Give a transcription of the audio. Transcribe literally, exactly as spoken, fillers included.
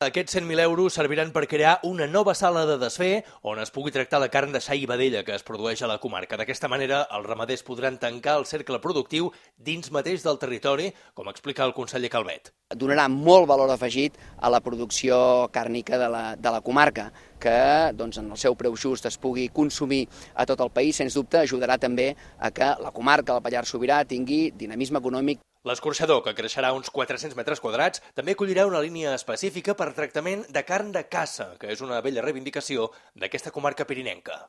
Aquests cent mil euros serviran per crear una nova sala de desfer on es pugui tractar la carn de xai i vedella que es produeix a la comarca. D'aquesta manera, els ramaders podran tancar el cercle productiu dins mateix del territori, com explica el conseller Calvet. Donarà molt valor afegit a la producció càrnica de la, de la comarca, que doncs, en el seu preu just es pugui consumir a tot el país. Sens dubte ajudarà també a que la comarca, el Pallars Sobirà, tingui dinamisme econòmic. L'escorxador, que creixerà uns quatre-cents metres quadrats, també acollirà una línia específica per tractament de carn de caça, que és una vella reivindicació d'aquesta comarca pirinenca.